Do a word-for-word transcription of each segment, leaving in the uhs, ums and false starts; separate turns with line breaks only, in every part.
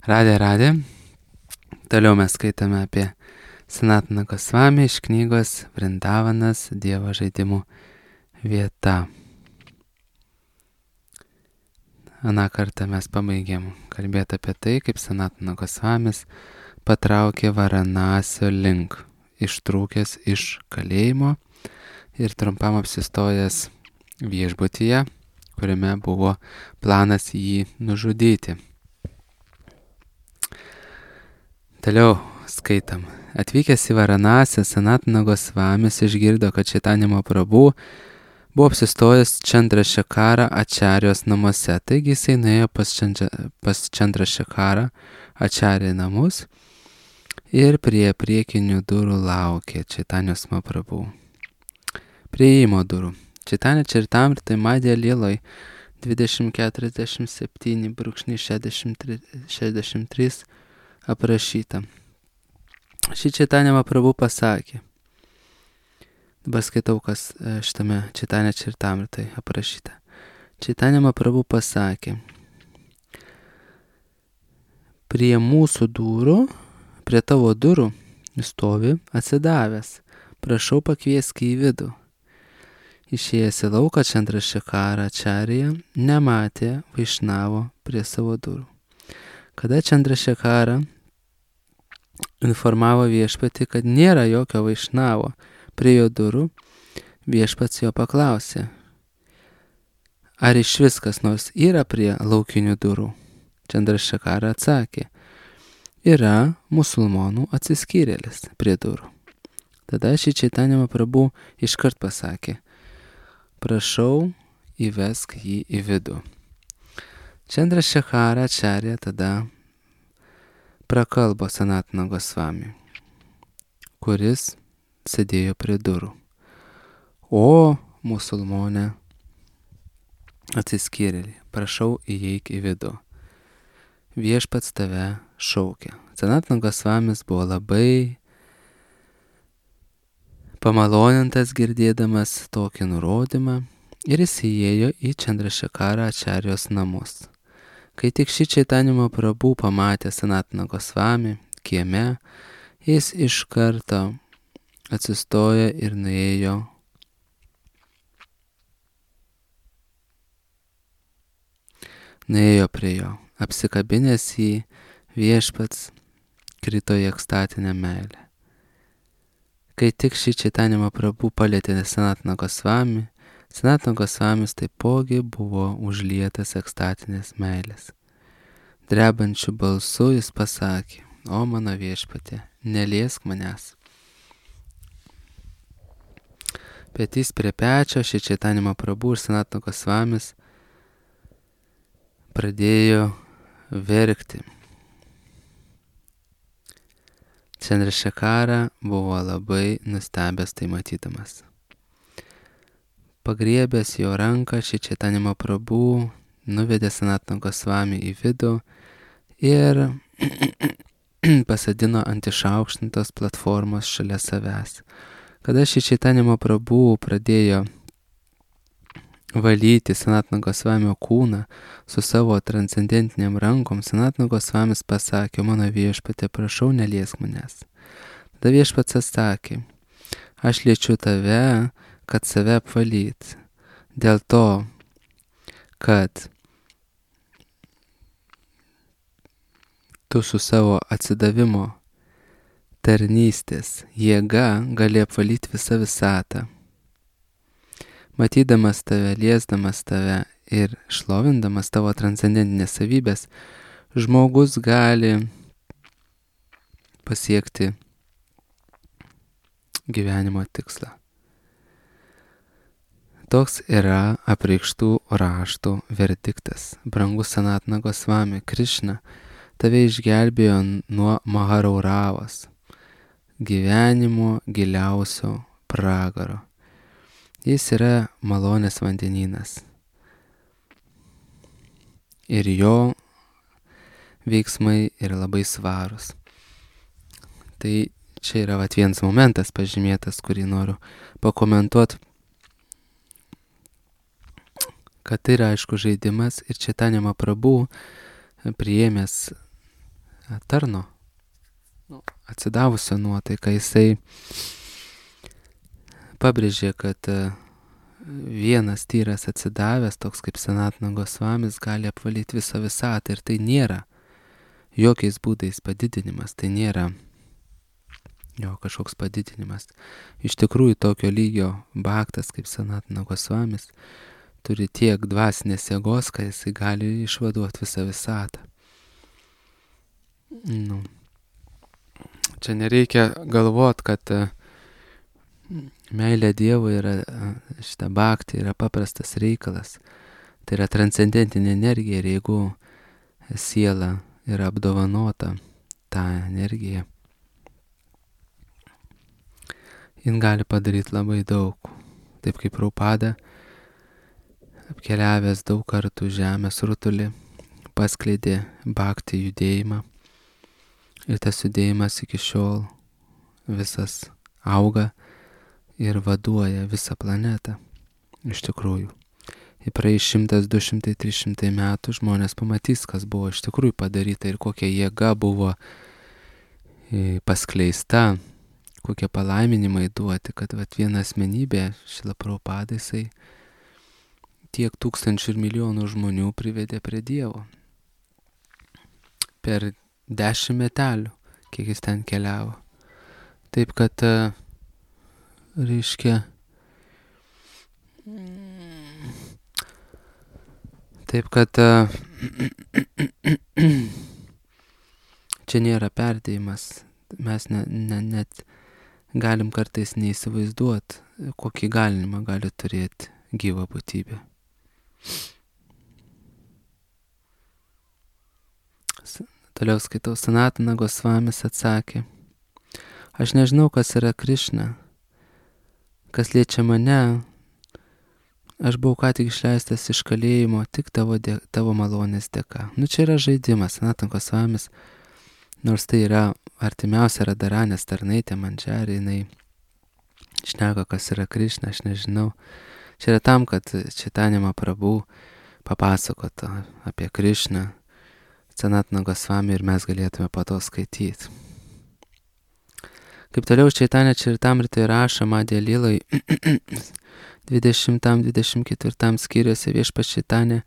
Radė, radė. Toliau mes skaitame apie Sanatana Gosvami iš knygos Vrindavanas Dievo žaidimų vieta. Aną kartą mes pabaigėm kalbėti apie tai, kaip Sanatana Gosvamis patraukė Varanasio link, ištrūkęs iš kalėjimo ir trumpam apsistojęs viešbutyje, kuriame buvo planas jį nužudyti. Toliau skaitam. Atvykęs į Varanasį, Sanatana Gosvamis išgirdo, kad Chaitanya Mahaprabhu buvo apsistojęs Chandrasekhara Acharyos namuose. Taigi jisai nuėjo pas, Chandra, pas Chandrasekhara Acharya namus ir prie priekinių durų laukė Chaitanyos Mahaprabhu. Prie įėjimo durų. Chaitanya Charitamrita Madhya Liloj dvidešimt keturiasdešimt septyni šešiasdešimt trys aprašyta. Šį Chaitanya Mahaprabhu pasakė. Dabar skaitau, kas šitame Chaitanya Charitamritai aprašyta. Chaitanya Mahaprabhu pasakė. Prie mūsų durų, prie tavo durų stovi atsidavęs. Prašau pakviesk į vidų. Išėjęs į lauką Chandrasekhara Acharya nematė Vaišnavo prie savo durų. Kada Chandrasekhara informavo viešpatį, kad nėra jokio Vaišnavo prie jo durų, viešpats jo paklausė, ar iš vis kas nors yra prie laukinių durų. Chandrasekhara atsakė, yra musulmonų atsiskyrėlis prie durų. Tada šį Chaitanya Mahaprabhu iškart pasakė, prašau įvesk jį į vidų. Chandrasekhara Acharya tada prakalbo Sanatana Gosvami, kuris sėdėjo prie durų. O musulmonė atsiskyrėlį, prašau įeik į vidų. Viešpats tave šaukia. Sanatana Gosvamis buvo labai pamalonintas girdėdamas tokį nurodymą ir jis įėjo į Chandrasekhara Acharyos namus. Kai tik šį Chaitanya Mahaprabhu pamatė Sanatana Gosvami kieme, jis iš karto atsistojo ir nuėjo nuėjo prie jo. Apsikabinęs jį, viešpats krito į ekstatinę meilę. Kai tik šį Chaitanya Mahaprabhu palietė Sanatana Gosvami, Sanatana Gosvamis taipogi buvo užlietas ekstatinės meilės. Drebančiu balsu jis pasakė, o mano viešpatie, neliesk manęs. Petys prie pečio šį Chaitanya Mahaprabhu ir Sanatana Gosvamis pradėjo verkti. Chandrasekhara buvo labai nustebęs tai matydamas. Pagriebęs jo ranką, šį Chaitanya Mahaprabhu nuvedė Sanatana Gosvami į vidų ir pasadino ant išaukštintos platformos šalia savęs. Kada šį Chaitanya Mahaprabhu pradėjo valyti Sanatana Gosvamio kūną su savo transcendentiniam rankom, Sanatana Gosvamis pasakė, mano viešpatie, prašau, neliesk manęs. Tada viešpats atsakė, aš liečiu tave, kad save apvalyt. Dėl to, kad tu su savo atsidavimo tarnystės jėga gali apvalyti visą visatą. Matydamas tave, liesdamas tave ir šlovindamas tavo transcendentinės savybės, žmogus gali pasiekti gyvenimo tikslą. Toks yra apreikštų raštų verdiktas. Brangus Sanatana Gosvami, Krishna tave išgelbėjo nuo Maharauravos, gyvenimo giliausio pragaro. Jis yra malonės vandenynas. Ir jo veiksmai yra labai svarūs. Tai čia yra vat vienas momentas pažymėtas, kurį noriu pakomentuoti. Kad tai yra aišku žaidimas ir Chaitanya Mahaprabhu priėmęs tarno, nu, atsidavusio nuotaiką. Jisai pabrėžė, kad vienas tyras atsidavęs, toks kaip Sanatana Gosvamis, gali apvalyti visą visatą, ir tai nėra jokiais būdais padidinimas, tai nėra jo kažkoks padidinimas. Iš tikrųjų, tokio lygio bhaktas kaip Sanatana Gosvamis turi tiek dvasinės jėgos, kad jisai gali išvaduoti visą visatą. Nu. Čia nereikia galvot, kad meilė Dievui yra, šita bhakti yra paprastas reikalas. Tai yra transcendentinė energija, ir jeigu siela yra apdovanota tą energiją, jin gali padaryti labai daug. Taip kaip Prabhupada, apkeliavęs daug kartų žemės rutulį, paskleidė bhakti judėjimą, ir tas judėjimas iki šiol visas auga ir vaduoja visą planetą. Iš tikrųjų. Ir praeis šimtas, du šimtai, trys šimtai metų žmonės pamatys, kas buvo iš tikrųjų padaryta ir kokia jėga buvo paskleista, kokie palaiminimai duoti, kad vat, viena asmenybė, Šrila Prabhupada, jisai tiek tūkstančių ir milijonų žmonių privedė prie Dievo. Per dešimt metelių, kiek jis ten keliavo. Taip kad, reiškia, taip kad čia nėra perdėjimas. Mes ne, ne, net galim kartais neįsivaizduoti, kokį galimą gali turėti gyva būtybė. Toliau skaitau, Sanatana Gosvamis atsakė: aš nežinau, kas yra Krišna. Kas liečia mane, aš buvau ką tik išleistas iš kalėjimo tik tavo, dė, tavo malonės dėka. Nu čia yra žaidimas. Sanatana Gosvamis, nors tai yra artimiausia Radharanės tarnaitė Mandžari, jinai šneka, kas yra Krišna, aš nežinau. Čia yra tam, kad Chaitanya Mahaprabhu papasakotų apie Krišną Sanatana Gosvami ir mes galėtume po to skaityti. Kaip toliau Chaitanya Charitamritoje rašo Madhya Lilai dvidešimtam dvidešimt ketvirtam skyriuose Viešpats Chaitanya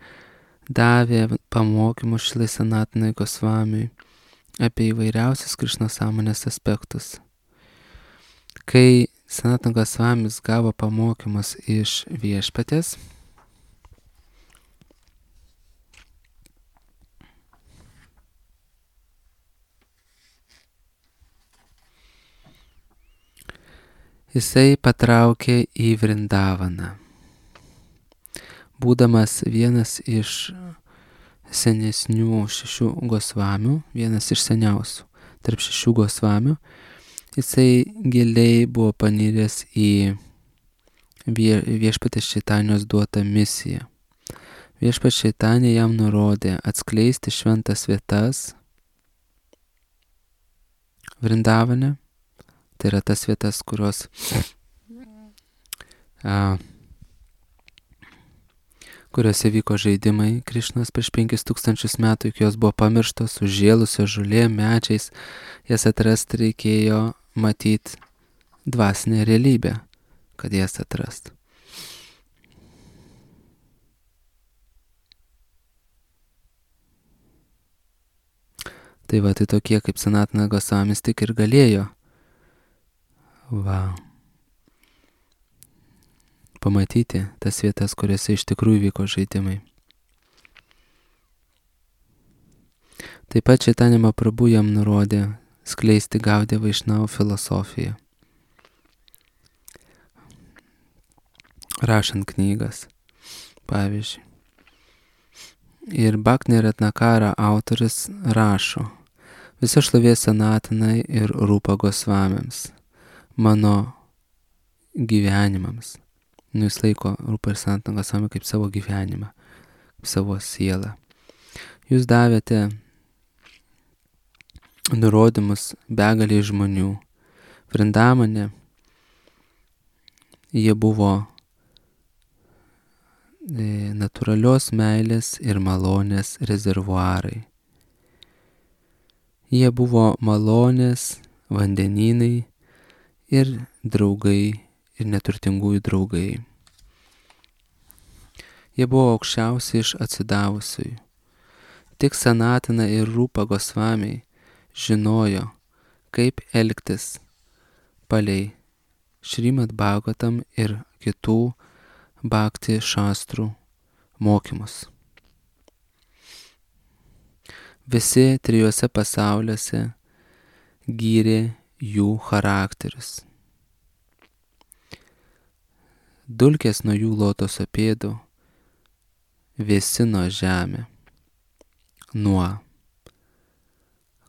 davė pamokymus Šrilai Sanatanai Gosvamiui apie įvairiausius Krišnos sąmonės aspektus. Kai Sanatana Gosvamis gavo pamokymus iš Viešpatės, jisai patraukė į Vrindavaną. Būdamas vienas iš senesnių šešių Gosvamių, vienas iš seniausių tarp šešių Gosvamių, jisai giliai buvo paniręs į vie, Viešpatės Čaitanijos duotą misiją. Viešpats Čaitanija jam nurodė atskleisti šventas vietas Vrindavane. Tai yra tas vietas, kurios a, kuriuose vyko žaidimai Krišnos prieš penkis tūkstančius metų, iki jos buvo pamirštos, užžėlusios žolėm, medžiais. Jas atrasti reikėjo matyti dvasinę realybę, kad jas atrastų. Tai va, tai tokie kaip Sanatana Gosvamis tik ir galėjo va, pamatyti tas vietas, kuriuose iš tikrųjų vyko žaidimai. Taip pat Chaitanya Mahaprabhu jam nurodė skleisti Gaudiją Vaišnavų filosofiją, rašant knygas, pavyzdžiui. Ir Bhakti Ratnakara autorius rašo: visa šlovė Sanatanai ir Rūpa Gosvamiams, mano gyvenimams. Nu, jis laiko Rūpa ir Sanatana Gosvami kaip savo gyvenimą, kaip savo sielą. Jūs davėte nurodymus begaliai žmonių. Vrindavane jie buvo e, natūralios meilės ir malonės rezervuarai. Jie buvo malonės, vandenynai ir draugai, ir neturtingųjų draugai. Jie buvo aukščiausi iš atsidavusiųjų. Tik Sanatana ir Rūpa Gosvamiai žinojo, kaip elgtis palei Šrimad Bhagavatam ir kitų bhakti šastrų mokymus. Visi trijuose pasauliuose gyrė jų charakterius. Dulkės nuo jų lotoso pėdų vėsino žemę nuo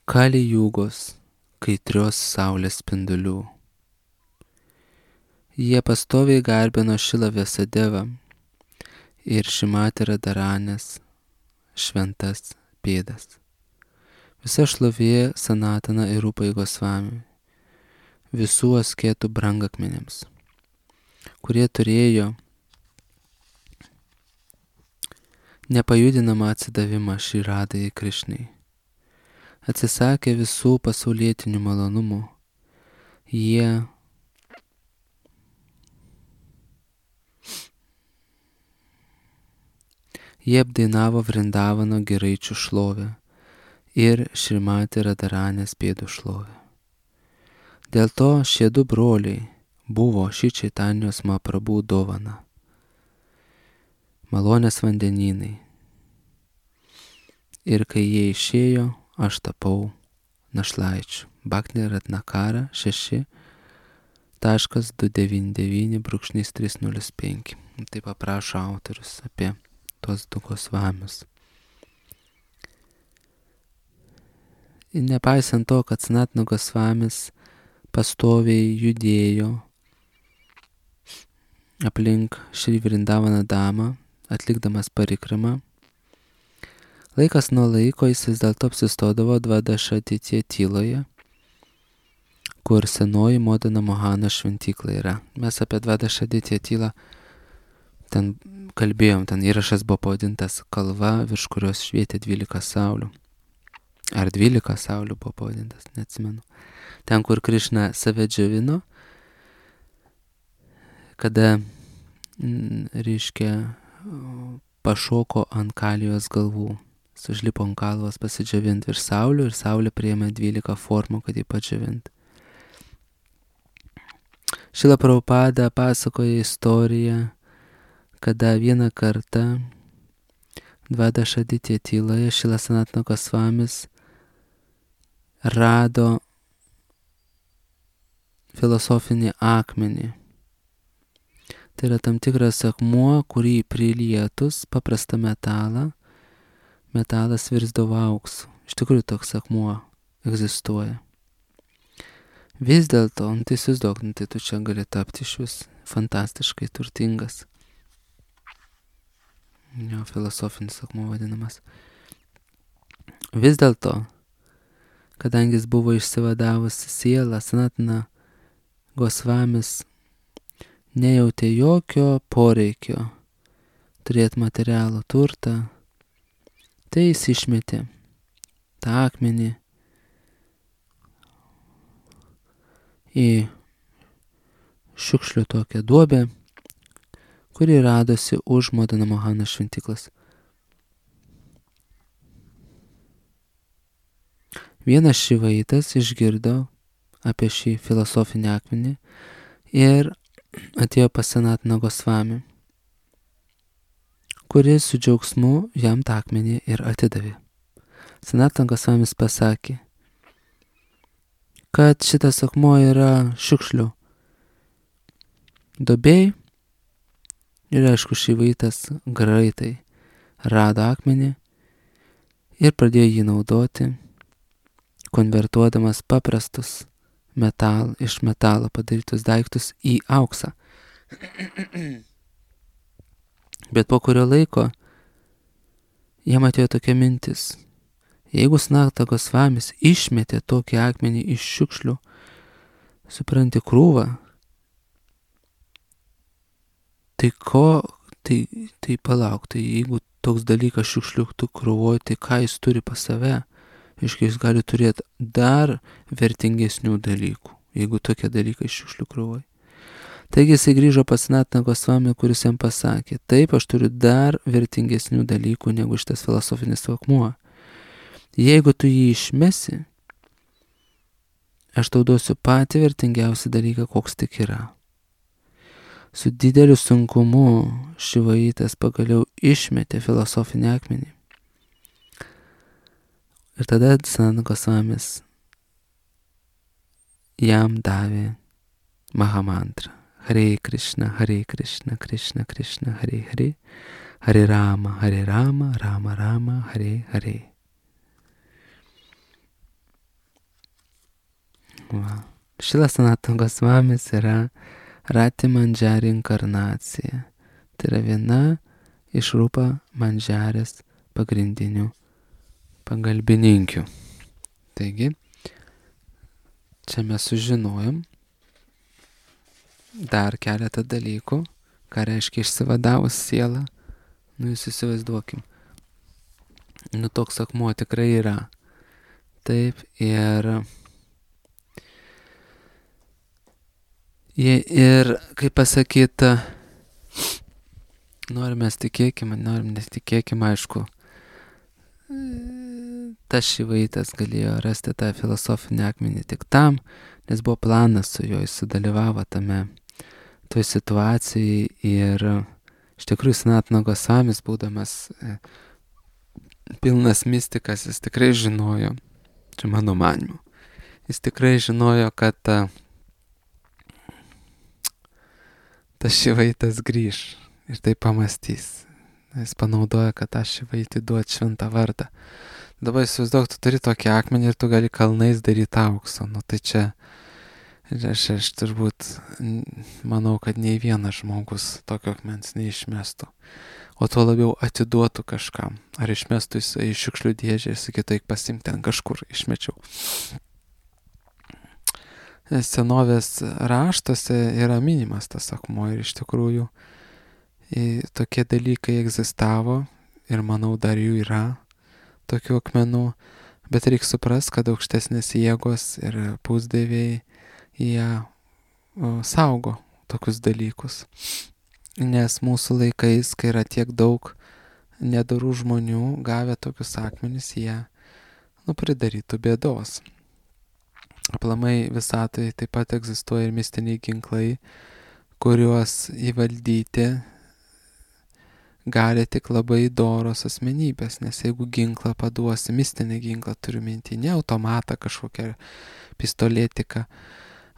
Kali Jugos kaitrios saulės spindulių. Jie pastoviai garbino Šilą Vyasadevą ir Šrimati Radharanės šventas pėdas. Visa šlovė Sanatana ir Rūpai Gosvamiui, visų asketų brangakmenims, kurie turėjo nepajudinamą atsidavimą Šri Radhai Krišnai. Atsisakė visų pasaulietinių malonumų. Jie Jie apdainavo Vrindavano giraičių šlovę ir Šrimati Radharanės pėdų šlovę. Dėl to šie du broliai buvo Šri Čaitanijos Mahaprabhu dovana. Malonės vandenynai. Ir kai jie išėjo, aš tapau našlaičiu. Bhakti Ratnakara šeši taškas du devyni devyni brūkšnys trys nulis penki. Taip paprašo autorius apie tuos du Gosvamius. Nepaisant to, kad Sanatana Gosvamis pastoviai judėjo aplink Šri Vrindavana damą, atlikdamas parikramą, laikas nuo laiko jis vis dėlto apsistodavo Dvadašaditya tyloje, kur senoji Modana Mohana šventykla yra. Mes apie Dvadašaditya tylą ten kalbėjom, ten įrašas buvo pavadintas Kalva, virš kurios švietė dvylika saulių. Ar dvylika saulių buvo pavadintas, neatsimenu. Ten, kur Krišna save džiovino, kada, reiškia, pašoko ant Kalijos galvų. Sužlipo ant kalvos pasidžiavinti virš saulių ir saulė priėmė dvylika formų, kad jį padžiavinti. Šrila Prabhupada pasakoja istoriją, kada vieną kartą Dvadašaditya tyloje Šrila Sanatana Gosvamis rado filosofinį akmenį. Tai yra tam tikras akmuo, kurį prilietus paprastą metalą, metalas virsdavo auksu. Iš tikrųjų toks akmuo egzistuoja. Vis dėlto, nu, tai įsivaizduok, nu, tai tu čia gali tapti iš vis fantastiškai turtingas. Jo, filosofinis akmuo vadinamas. Vis dėlto, kadangi jis buvo išsivadavusi siela, Sanatana Gosvamis nejautė jokio poreikio turėti materialų turtą, tai jis išmetė tą akmenį į šiukšlių tokią duobę, kuri radosi už Modana Mohana šventyklos. Vienas šivaitas išgirdo apie šį filosofinį akmenį ir atėjo pas Sanatana Gosvami, kuris su džiaugsmu jam tą akmenį ir atidavė. Sanatana Gosvamis pasakė, kad šitas akmuo yra šiukšlių duobėj ir aišku šivaitas greitai rado akmenį ir pradėjo jį naudoti, konvertuodamas paprastus metal, iš metalo padarytus daiktus į auksą. Bet po kurio laiko jam atėjo tokia mintis. Jeigu Sanatana Gosvamis išmetė tokį akmenį iš šiukšlių, supranti, krūvą, tai ko, tai, tai palauk, tai jeigu toks dalykas šiukšlių krūvoj, tai ką jis turi pas save? Reiškia, jis gali turėti dar vertingesnių dalykų, jeigu tokie dalykai šiukšlių krūvai. Taigi jisai grįžo pas Sanatana Gosvami, kuris jam pasakė, taip, aš turiu dar vertingesnių dalykų negu šitas filosofinis akmuo. Jeigu tu jį išmesi, aš tau duosiu patį vertingiausią dalyką, koks tik yra. Su dideliu sunkumu Šivaitas pagaliau išmetė filosofinį akmenį. Ir tada Sanatana Gosvamis jam davė Mahamantrą. Hare Krishna, Hare Krishna, Krishna Krishna, Hare Hare, Hare Rama, Hare Rama, Rama Rama, Hare Hare. Va. Šilas Sanatana Gosvamis yra Rati Mandžari inkarnacija. Tai yra viena iš Rupa Mandžarės pagrindinių pagalbininkių. Taigi, čia mes sužinojom dar keletą dalykų, ką reiškia išsivadavus sielą. Nu, jūs įsivaizduokim. Nu, toks akmuo tikrai yra. Taip, ir ir, kaip pasakyta, norim mes tikėkime, norim netikėkime, aišku, tas Šivaitas galėjo rasti tą filosofinį akmenį tik tam, nes buvo planas su juo, jis sudalyvavo tame, toj situacijai ir iš tikrųjų Sanatana Gosvamis, būdamas e, pilnas mistikas, jis tikrai žinojo, čia mano manymu, jis tikrai žinojo, kad ta, tas Šivaitas grįž ir tai pamastys. Jis panaudoja, kad tą Šivaitį duot šventą vardą. Dabar įsivaizduok, tu turi tokį akmenį ir tu gali kalnais daryti aukso. Nu tai čia, aš, aš turbūt manau, kad nei vienas žmogus tokio akmens neišmestų. O tuo labiau atiduotų kažkam. Ar išmestų į šiukšlių dėžę ir sakytų, eik pasiimk ten kažkur, išmečiau. Senovės raštuose yra minimas tas akmuo ir iš tikrųjų tokie dalykai egzistavo ir manau dar jų yra tokių akmenų, bet reikia suprast, kad aukštesnės jėgos ir pusdieviai jie o, saugo tokius dalykus. Nes mūsų laikais, kai yra tiek daug nedorų žmonių, gavę tokius akmenis, jie nu, pridarytų bėdos. Aplamai visatoje taip pat egzistuoja ir mistiniai ginklai, kuriuos įvaldyti gali tik labai doros asmenybės, nes jeigu ginklą paduosi, mistinį ginklą turiu minti, ne automatą kažkokią pistolėtiką,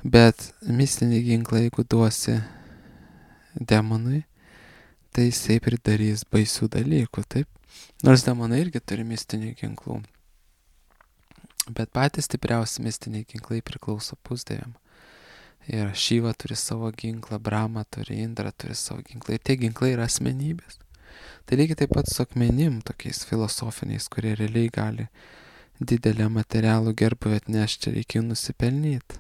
bet mistinį ginklą, jeigu duosi demonui, tai jisai pridarys baisių dalykų, taip? Nors demonai irgi turi mistinių ginklų, bet patys stipriausi mistiniai ginklai priklauso pusdieviam. Ir Šiva turi savo ginklą, Brahma turi, Indra turi savo ginklą, ir tie ginklai yra asmenybės. Tai lygiai taip pat su akmenim, tokiais filosofiniais, kurie realiai gali didelę materialų gerbuvę atnešti, čia reikia nusipelnyti.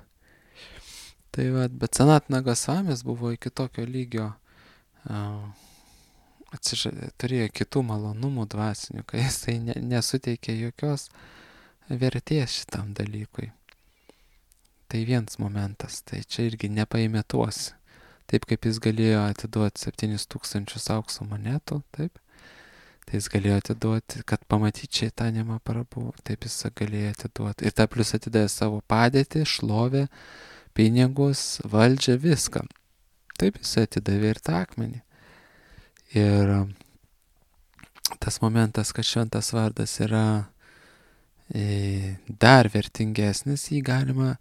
Tai va, bet Sanatana Gosvamis buvo iki tokio lygio, uh, atsižadė, turėjo kitų malonumų dvasinių, kai jisai ne, nesuteikė jokios vertės šitam dalykui. Tai vienas momentas, tai čia irgi nepaimėtuosi. Taip kaip jis galėjo atiduoti septynis tūkstančius aukso monetų, taip, tai jis galėjo atiduoti, kad pamatyti Čaitanją Mahaprabhu, taip jis galėjo atiduoti. Ir ta plius atidavė savo padėtį, šlovę, pinigus, valdžią, viską. Taip jis atidavė ir tą akmenį. Ir tas momentas, kad šventas vardas yra e, dar vertingesnis, jį galima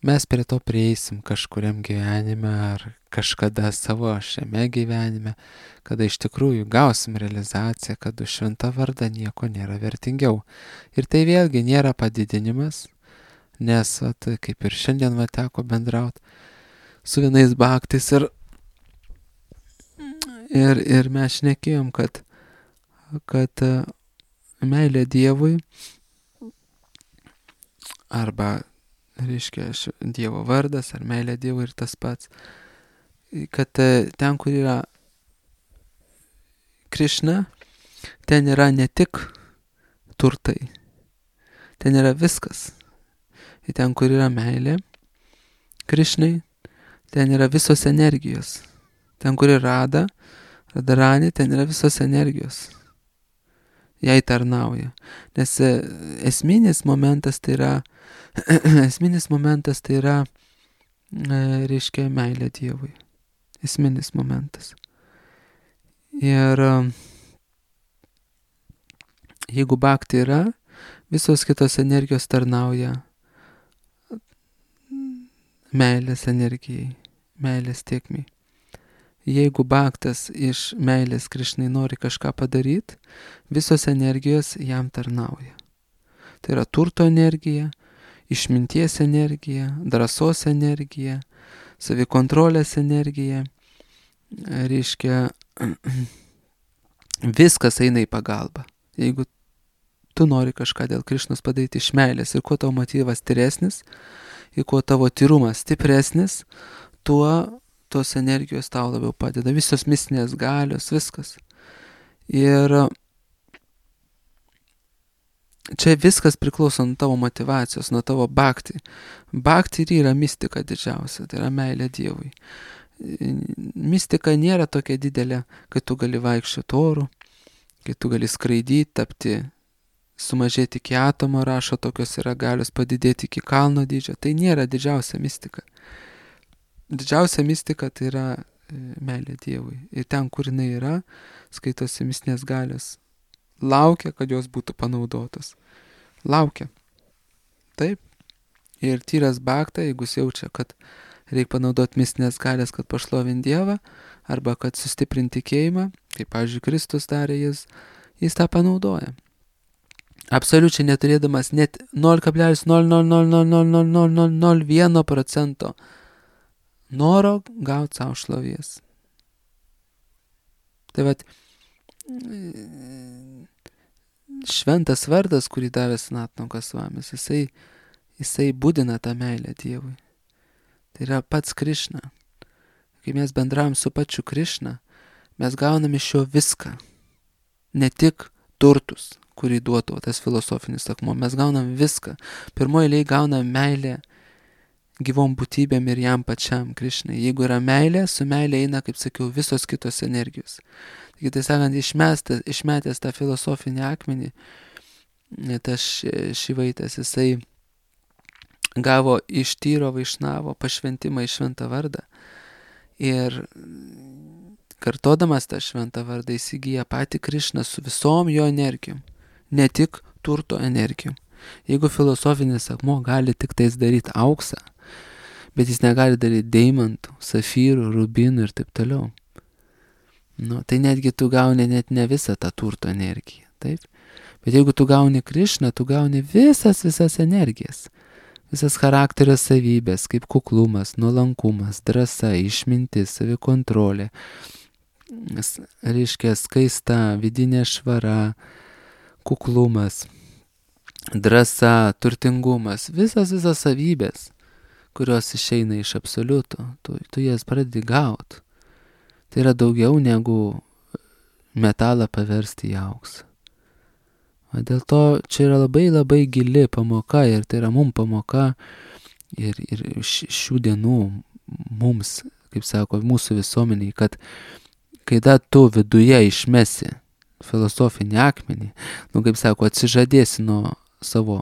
mes prie to prieisim kažkuriam gyvenime ar kažkada savo šiame gyvenime, kada iš tikrųjų gausim realizaciją, kad už šventą vardą nieko nėra vertingiau. Ir tai vėlgi nėra padidinimas, nes at, kaip ir šiandien va teko bendrauti su vienais bhaktais ir, ir, ir mes šnekėjom, kad, kad meilė Dievui arba reiškia Dievo vardas ar meilė Dievui ir tas pats, kad ten, kur yra Krišna, ten yra ne tik turtai, ten yra viskas. Ir ten, kur yra meilė, Krišnai, ten yra visos energijos. Ten, kur yra Rada, Radharani, ten yra visos energijos. Jai tarnauja. Nes esminis momentas tai yra, esminis momentas tai yra, reiškia, meilė Dievui. Esminis momentas. Ir jeigu bhakti yra, visos kitos energijos tarnauja meilės energijai, meilės tėkmei. Jeigu bhaktas iš meilės Krišnai nori kažką padaryti, visos energijos jam tarnauja. Tai yra turto energija, išminties energija, drąsos energija, savikontrolės energija. Reiškia, viskas eina į pagalbą. Jeigu tu nori kažką dėl Krišnos padaryti iš meilės ir kuo tavo motyvas tyresnis, ir kuo tavo tyrumas stipresnis, tuo tos energijos tau labiau padeda. Visos mistinės galios, viskas. Ir čia viskas priklauso nuo tavo motyvacijos, nuo tavo bhakti. Bhakti ir yra mistika didžiausia, tai yra meilė Dievui. Mistika nėra tokia didelė, kad tu gali vaikščioti oru, kad tu gali skraidyti, tapti, sumažėti iki atomo, rašo, tokios yra galios padidėti iki kalno dydžio. Tai nėra didžiausia mistika. Didžiausia mistika tai yra meilė Dievui. Ir ten, kur jinai yra, skaitosi mistinės galios. Laukia, kad jos būtų panaudotos. Laukia. Taip. Ir tyras bhakta, jeigu jis jaučia, kad reikia panaudoti mistinės galias, kad pašlovint Dievą, arba kad sustiprinti tikėjimą, kaip, pavyzdžiui, Kristus darė, jis, jis tą panaudoja. Absoliučiai neturėdamas net nol kablelis nol nol nol nol nol nol nol nol nol vieno procento noro gauti savo šlovės. Tai vat, šventas vardas, kurį davė Sanatana Gosvamis, jisai, jisai būdina tą meilę Dievui. Tai yra pats Krišna. Kai mes bendravom su pačiu Krišna, mes gaunam iš jo viską. Ne tik turtus, kurį duotų tas filosofinis akmuo. Mes gaunam viską. Pirmoji eilėje gaunam meilę gyvom būtybėm ir jam pačiam Krišnai. Jeigu yra meilė, su meilė eina, kaip sakiau, visos kitos energijos. Taigi, tai sakant, išmestas, išmetęs tą filosofinį akmenį, tas Šivaitas, jisai gavo iš Tyro Vaišnavo pašventimą į šventą vardą. Ir kartodamas tą šventą vardą įsigyja patį Krišną su visom jo energijom. Ne tik turto energijom. Jeigu filosofinis akmuo gali tik tais daryti auksą, bet jis negali daryti deimantų, safyrų, rubinų ir taip toliau. Nu, tai netgi tu gauni net ne visą tą turto energiją, taip? Bet jeigu tu gauni Krišną, tu gauni visas, visas energijas. Visas charakterio savybės, kaip kuklumas, nuolankumas, drąsa, išmintis, savikontrolė, reiškia skaista, vidinė švara, kuklumas, drąsa, turtingumas, visas, visas savybės, kurios išeina iš absoliuto, tu, tu jas pradedi gauti. Tai yra daugiau negu metalą paversti į auksą. O dėl to čia yra labai labai gili pamoka ir tai yra mum pamoka ir, ir šių dienų mums, kaip sako, mūsų visuomeniai, kad kai da tu viduje išmesi filosofinį akmenį, nu, kaip sako, atsižadėsi nuo savo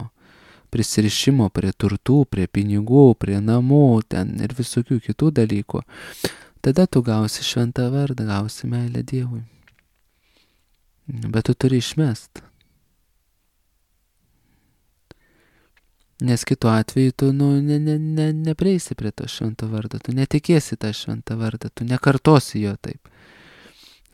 prisirišimo prie turtų, prie pinigų, prie namų, ten ir visokių kitų dalykų, tada tu gausi šventą vardą, gausi meilę Dievui. Bet tu turi išmest. Nes kitu atveju tu nu, ne, ne, ne, neprieisi prie to švento vardo, tu netikėsi tą šventą vardą, tu nekartosi jo taip.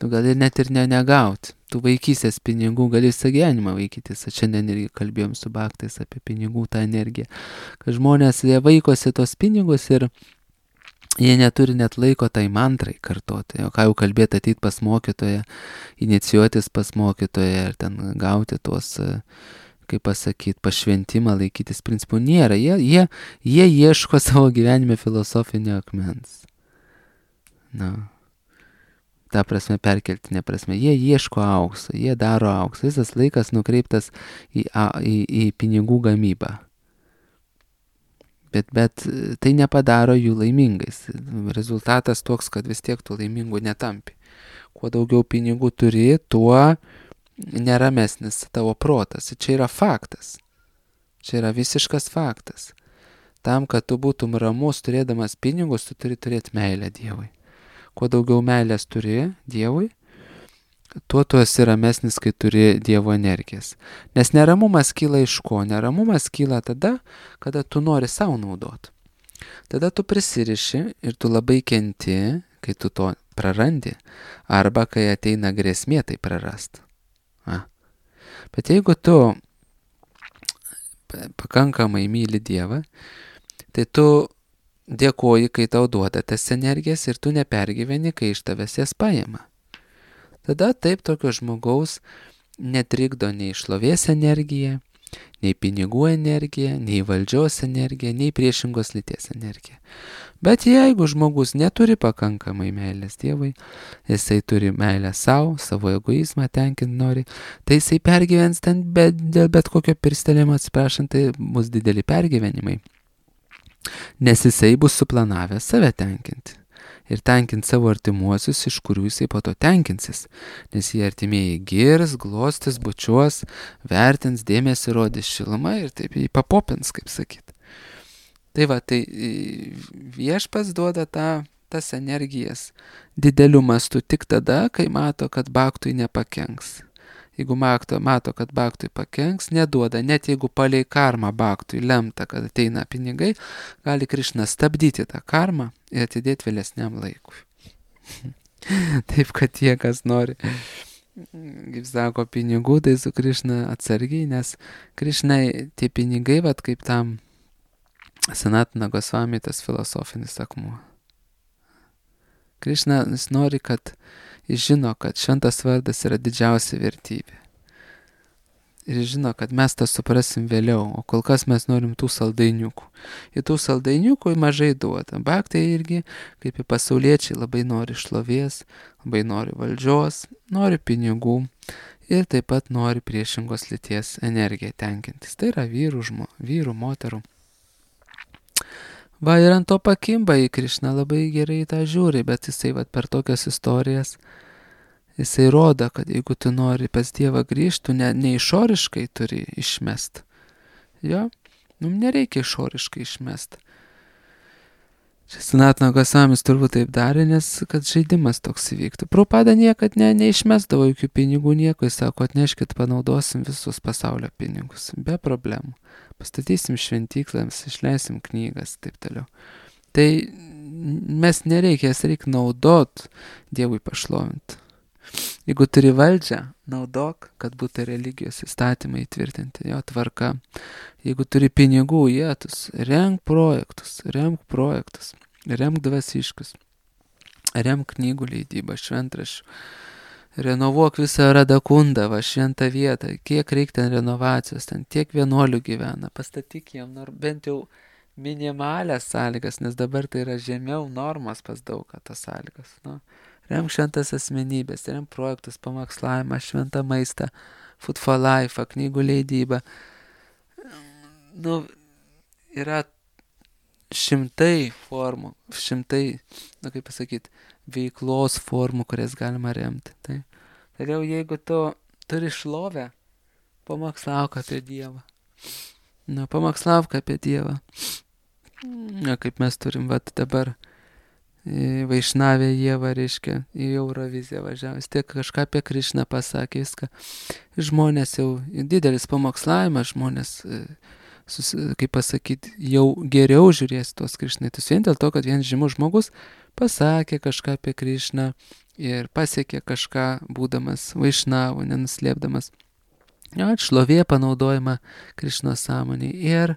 Tu gali net ir ne, negauti. Tu vaikysės pinigų, gali visą gyvenimą vaikytis. Šiandien irgi kalbėjom su bhaktais apie pinigų tą energiją. Kad žmonės, jie vaikosi tos pinigus ir jie neturi net laiko tai mantrai kartoti. O ką jau kalbėti, ateit pas mokytoją, inicijuotis pas mokytoją ir ten gauti tuos, kaip pasakyti, pašventimą, laikytis principų. Nėra. Jie, jie, jie ieško savo gyvenime filosofinio akmens. Na. ta prasme perkeltinė prasme, jie ieško aukso, jie daro auksą, visas laikas nukreiptas į, į, į pinigų gamybą. Bet, bet tai nepadaro jų laimingais. Rezultatas toks, kad vis tiek tu laimingų netampi. Kuo daugiau pinigų turi, tuo neramesnis tavo protas. Čia yra faktas. Čia yra visiškas faktas. Tam, kad tu būtum ramus turėdamas pinigus, tu turi turėti meilę Dievui. Kuo daugiau meilės turi Dievui, tuo tu esi ramesnis, kai turi Dievo energijas. Nes neramumas kyla iš ko? Neramumas kyla tada, kada tu nori savo naudoti. Tada tu prisiriši ir tu labai kenti, kai tu to prarandi, arba kai ateina grėsmė tai prarast. A. Bet jeigu tu pakankamai myli Dievą, tai tu dėkoji, kai tau duoda tas energijas ir tu nepergyveni, kai iš tavęs jas paima. Tada taip tokio žmogaus netrikdo nei šlovės energija, nei pinigų energija, nei valdžios energija, nei priešingos lyties energija. Bet jeigu žmogus neturi pakankamai meilės Dievui, jisai turi meilę savo, savo egoizmą tenkinti nori, tai jisai pergyvens ten bet, dėl bet kokio pirstelėjimo, atsiprašant, tai bus dideli pergyvenimai. Nes jisai bus suplanavęs save tenkinti. Ir tenkint savo artimuosius, iš kurių jisai po to tenkinsis. Nes jie artimieji girs, glostis, bučiuos, vertins, dėmesį rodys šilumą ir taip jį papopins, kaip sakyt. Tai va, tai viešpats duoda tą, tas energijas dideliu mastu tik tada, kai mato, kad baktui nepakenks. Jeigu mato, mato, kad baktui pakenks, neduoda, net jeigu palei karmą baktui lemta, kad ateina pinigai, gali Krišna stabdyti tą karmą ir atidėti vėlesniam laikui. Taip, kad tie, kas nori, kaip sako, pinigų, tai su Krišna atsargiai, nes Krišnai tie pinigai, vat kaip tam Sanatana Gosvami tas filosofinis akmuo. Krišna nori, kad jis žino, kad šventas vardas yra didžiausia vertybė. Ir jis žino, kad mes tą suprasim vėliau, o kol kas mes norim tų saldainiukų. Ir tų saldainiukų mažai duoda. Bhaktai irgi, kaip ir pasauliečiai, labai nori šlovės, labai nori valdžios, nori pinigų ir taip pat nori priešingos lyties energiją tenkintis. Tai yra vyrų, žmo, vyrų moterų. Va, ir ant to pakimba į Krišną, labai gerai tą žiūri, bet jisai va, per tokias istorijas, jisai rodo, kad jeigu tu nori pas Dievą grįžti, tu ne, ne išoriškai turi išmest. Jo, nu, nereikia išoriškai išmest. Čia Sanatana Gosamis turbūt taip darė, nes kad žaidimas toks įvyktų. Prabhupada niekad ne, neišmesdavo jokių pinigų, nieko, jis sako, atneškit, panaudosim visus pasaulio pinigus, be problemų. Pastatysim šventyklams, išleisim knygas, taip toliau. Tai mes nereikia, jas reikia naudot Dievui pašlovinti. Jeigu turi valdžią, naudok, kad būtų religijos įstatymai įtvirtinti, jo tvarka. Jeigu turi pinigų, jėtus, renk projektus, remk projektus, remk dvasiškus, remk knygų leidybą, šventraščių. Renovuok visą Radakundą, va šventą vietą, kiek reikia ten renovacijos, ten tiek vienuolių gyvena, pastatyk jiem nor, bent jau minimalias sąlygas, nes dabar tai yra žemiau normos pas daug tas sąlygas. Nu. Remk šventas asmenybės, remk projektus, pamokslavimą, šventą maistą, Food for Life, knygų leidybą. Nu, yra šimtai formų, šimtai, nu kaip pasakyti, veiklos formų, kurias galima remti. Tai, tai jau jeigu tu turi šlovę, pamokslauk apie Dievą. Nu, pamokslauk apie Dievą. Na, kaip mes turim vat dabar Vaišnavė Ieva, reiškia, į Euroviziją važiavęs, tiek kažką apie Krišną pasakė, viską. Žmonės jau, didelis pamokslavimas, žmonės, sus, kaip pasakyti, jau geriau žiūrės tos Krišnaitus. Vien dėl to, kad vienas žymus žmogus pasakė kažką apie Krišną ir pasiekė kažką, būdamas Vaišnavų, nenuslėpdamas. Jo, šlovė panaudojama Krišnos sąmonį. Ir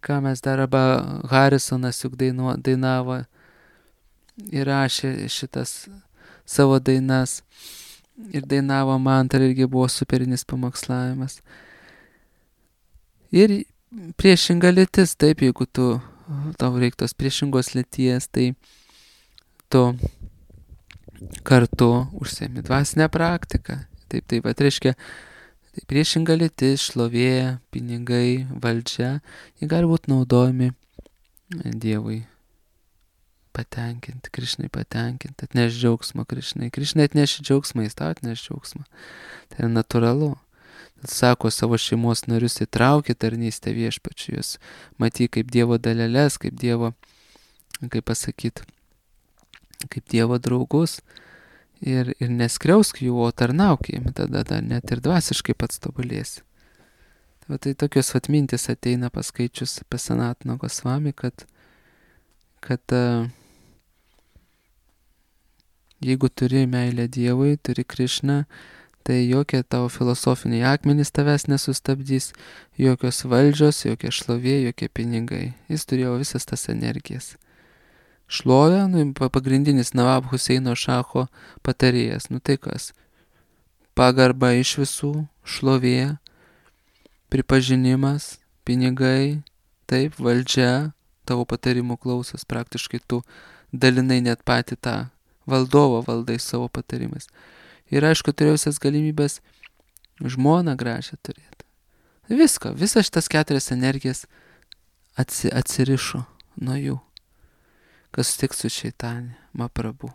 ką mes dar, arba Harisonas juk dainu, dainavo, įrašė šitas savo dainas ir dainavo mantrą, irgi buvo superinis pamokslavimas. Ir priešinga lytis, taip, jeigu tu, tau reiktos priešingos lyties, tai tu kartu užsiemi dvasinę praktiką. Taip, taip pat reiškia, tai priešinga lytis, šlovė, pinigai, valdžia, jie gali būti naudojami Dievui patenkinti, Krišnai patenkinti, atneš džiaugsmą Krišnai. Krišnai atneši džiaugsmą, jis tau atneš džiaugsmą. Tai yra natūralu. Tad sako, savo šeimos narius įtraukė tarnystę viešpačiui, jūs matyk kaip Dievo dalelės, kaip Dievo, kaip pasakyti, kaip Dievo draugus ir, ir neskriausk jų, o tarnauk jiem, tada dar net ir dvasiškai pats tobulėsi. Tai, tai tokios vat mintis ateina paskaičius apie Sanatana Gosvami, kad, kad uh, jeigu turi meilę Dievui, turi Krišną, tai jokie tavo filosofiniai akmenys tavęs nesustabdys, jokios valdžios, jokie šlovė, jokie pinigai. Jis turėjo visas tas energijas. Šlovė, nu, pagrindinis Nawab Huseino Šacho patarėjas. Nu tai kas? Pagarba iš visų, šlovė, pripažinimas, pinigai, taip, valdžia, tavo patarimų klausos, praktiškai tu dalinai net patį tą valdovo valdai savo patarimais. Ir aišku, turėjau visas galimybės žmoną gražią turėti. Viską, visas šitas keturias energijas atsi, atsirišo nuo jų. Kas sutiks su Šeitanė, Mahaprabhu.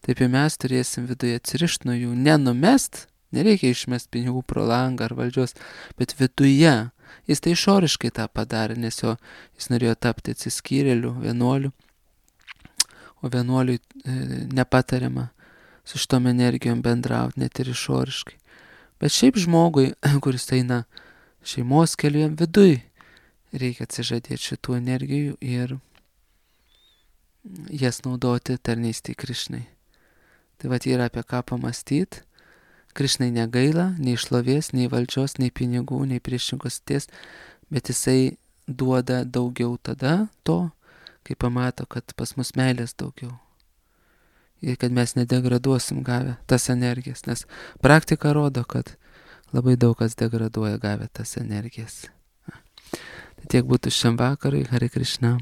Taip ir mes turėsim viduje atsirišti nuo jų, nenumest, nereikia išmest pinigų pro langą ar valdžios, bet viduje. Jis tai išoriškai tą padarė, nes jo, jis norėjo tapti atsiskyrėliu, vienuoliu, o vienuoliui e, nepatariama su šitom energijom bendrauti, net ir išoriškai. Bet šiaip žmogui, kuris eina šeimos keliu, jam viduj reikia atsižadėti šitų energijų ir jas naudoti tarnystei Krišnai. Tai vat yra apie ką pamastyti. Krišnai negaila nei šlovės, nei valdžios, nei pinigų, nei priešingos ties, bet jisai duoda daugiau tada to, kai pamato, kad pas mus meilės daugiau. Ir kad mes nedegraduosim gavę tas energijas, nes praktika rodo, kad labai daug kas degraduoja gavę tas energijas. Tai tiek būtų šiam vakarui, Hare Krishna.